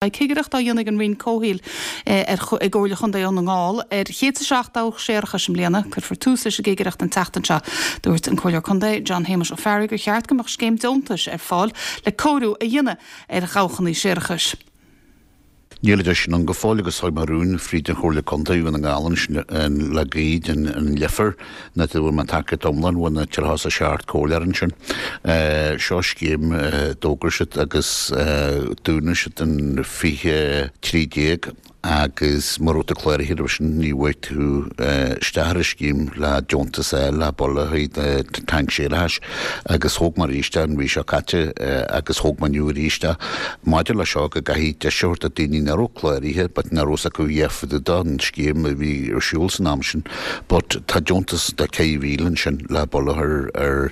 Beidh cigireacht á dhéanamh ag an Roinn Comhshaoil i gComhairle Chontae Dhún na nGall ar 107 dabhach séarachais i mbliana. Cuirfear tús leis an gcigireacht an tseachtain seo. Dúirt an Comhairleoir Contae John Shéamuis Ó Fearraigh gur cheart go mbeadh scéim deontais ar fáil le cóiriú a dhéanamh ar dhabhchanna séarachais. Níl an deis sin ann go fóill agus thug mé rún fríd an Chomhairle Contae Dhún na nGall ansin le gaoth an Leifear ná go bhfuil mé tacaíocht iomlán ó na 37 comhairleoir ansin. Seo scéim a d'fhógair siad agus dúnadh siad in 2013 agus mura raibh tú cláraithe roimhe sin ní bhfaighidh tú isteach ar an scéim le deontas a fháil le buille a thaobh do tanc séarachais agus thóg mé arís é an mhí seo caite agus thóg mé inniu arís é maidir le seo go gcaithfidh deis a thabhairt do daoine nach raibh cláraithe but nach raibh fhios acu a dhath fá dtaobh don scéim a bhí ar siúl san am sin. But tá deontas de 4,000 ansin le buille a chur ar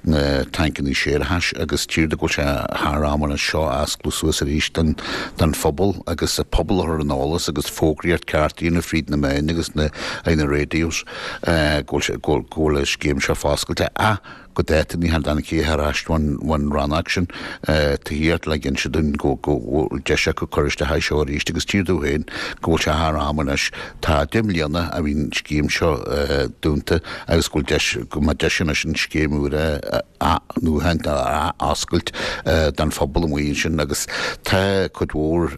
na tancannaí séarachais agus tchíthear go bhfuil sé thar am anois seo a osclú suas arís don don phobal agus an pobal a chur ar an eolas agus fógraíocht ceart a dhéanamh fríd na meáin agus na na radios go bhfuil sé go bhfuil an scéim seo foscailte ach go dáta ní tháinig aon chéim ar ais ón rannóg sin tithíochta le inse dúinn go bhfuil deis acu cur isteach air seo arís agus tchíthear domh féin go bhfuil sé thar am anois. Tá 10 mbliana a bhí an scéim seo dúnta agus go bhfuil deis, go mbeadh deis anois an scéim úr a athnuachan, a athoscailt don phobal amuigh ansin agus tá cuid mhór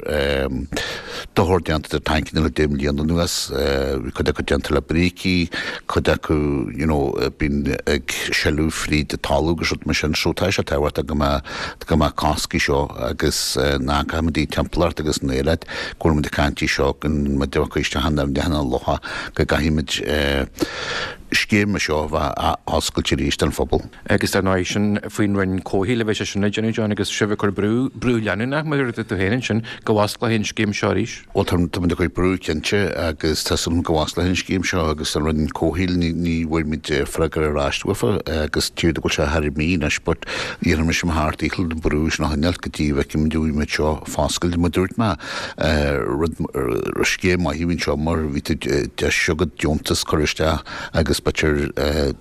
dochar déanta do tancanna le 10 mbliana anuas. Bhí cuid acu déanta le brící, cuid acu you know bíonn ag sileadh fríd an talamh agus rud mar sin. So tá sé tábhachtach go mbeadh go mbeadh cosc air seo agus nach gcaithfimid an timpeallacht agus an aeráid go bhfuil muid ag caint air seo go mbeidh acu isteach in aibhneacha na locha go gcaithfimid scéim mar seo a bheith oscailte arís don phobal. Agus dar ndóigh, sin faoin Roinn Comhshaoil a bheidh sé sin ag déanamh, John, agus sibh ag cur brú, brú leanúnach, mar a dúirt tú féin ansin, go bhfosclófaí an scéim seo arís. Bhuel, tá, tá muid ag cur brú, cinnte, agus tá súil agam go bhfosclófaí an scéim seo agus an Roinn Comhshaoil, ní, ní bhfuair muid freagra ar ais uafa agus tchíthear go bhfuil sé thar mí anois but dhéanfaidh mise mo sheacht ndícheall an brú sin a choinneáil go dtí go bhfeicfimid go bhfuil muid seo foscailte. Mar a dúirt mé, rud, scéim maith a bhí anseo mar bhí tú deis agat deontas cur isteach agus b'fhéidir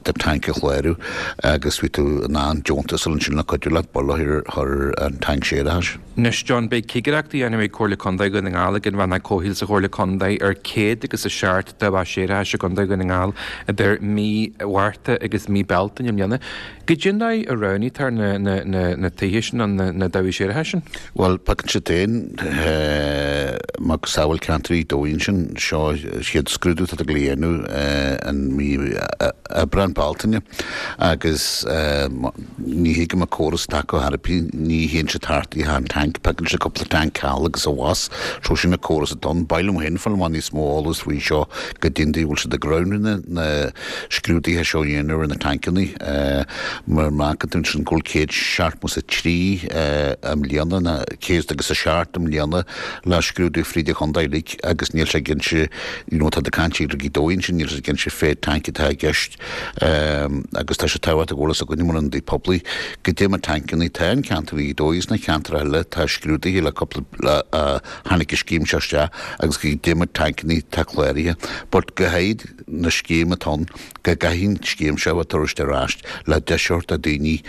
do tanc a chlárú agus bhí tú in ann deontas a fháil ansin le cuidiú leat buille a chur ar an tanc séarachais. Anois John, beidh cigireacht á dhéanamh ag Comhairle Contae Dhún na nGall ag an Rannóg Comhshaoil sa Chomhairle Contae ar 100 agus 7 dabhach séarachais i gContae Dhún na nGall idir mí Mhárta agus mí Bealtaine i mbliana. Goidé an dóigh a roghnaítear na tithe sin nó na dabhaigh séarachais sin? Bhuel, piocann siad féin macasamhail ceantar Ghaoth Dobhair ansin. Seo chéad scrúdú atá ag dul a dhéanamh in mí Aibreán, Bealtaine agus ní thuigim an córas atá acu ar bith, ní théann siad thart achan tanc, piocann siad cúpla tanc thall agus abhus, so sin an córas atá ann. Ba mhaith liom féin fáil amach níos mó eolas faoi seo goidé an dóigh a bhfuil siad ag roghnú na scrúduithe seo a dhéanamh ar na tancannaí. Mar má fheiceann tú ansin go bhfuil 173 i mbliana, nó 107 i mbliana le scrúdú fríd an chontae uilig agus níl sé cinnte, you know, tá tú ag caint ar Ghaoth Dobhair ansin, níl sé cinnte cé mhéad tanc atá i gceist agus tá sé tábhachtach go bhfuil fhios againne mar ionadaí poiblí goidé na tancannaí atá in ceantar Ghaoth Dobhair is sna ceantracha eile atá scrúdaithe le cúpla, le, tháinig an scéim seo isteach agus goidé na tancannaí atá cláraithe but go háirid na scéim atá ann, go gcaithfidh an scéim seo a bheith tabhairt ar ais le deis a thabhairt do daoine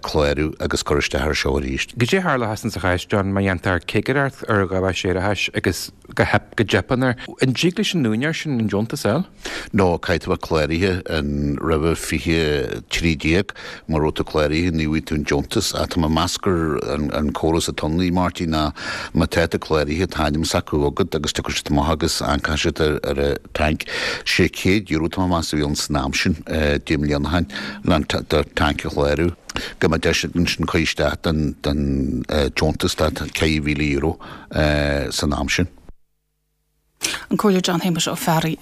clárú agus cur isteach ar seo arís. Goidé a tharlóchas insa chás, John, má dhéantar cigireacht ar dhabhach séarachais agus go theip, go dteipeann air, an dtig leis an úinéir sin an deontas a fháil? No, caithfidh tú bheith cláraithe in roimhe 2013, mura raibh tú cláraithe ní bhfaighidh tú an deontas ach tá mé ag meas gur an córas atá ann, a Mháirtín, ná má tá tú cláraithe tá ainm s'acu agat agus tiocfaidh siad amach agus amharcfaidh siad ar an tanc. €600 tá mé ag meas a bhí ann san am sin, 10 mbliana ó shin, le do tanc a chlárú. Go mbeadh deis agat ansin cur isteach don deontas de €4,000 san am sin. An Comhairleoir John Shéamuis Ó Fearraigh.